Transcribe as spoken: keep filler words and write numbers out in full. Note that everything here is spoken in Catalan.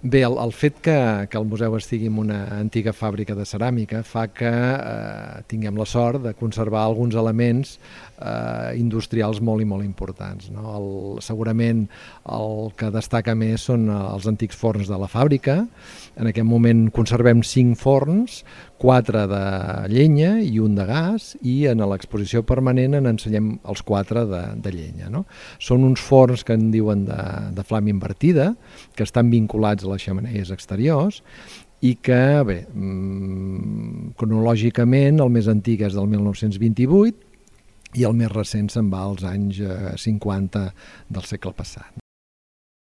Bé, el, el fet que, que el museu estigui en una antiga fàbrica de ceràmica fa que eh, tinguem la sort de conservar alguns elements eh, industrials molt i molt importants, no? El, segurament el que destaca més són els antics forns de la fàbrica. En aquest moment conservem cinc forns, quatre de llenya i un de gas, i en l'exposició permanent en ensenyem els quatre de, de llenya, no? Són uns forns que en diuen de, de flama invertida, que estan vinculats a les xemeneies exteriors i que, bé, mmm, cronològicament el més antic és del mil nou-cents vint-i-vuit i el més recent se'n va als anys cinquanta del segle passat.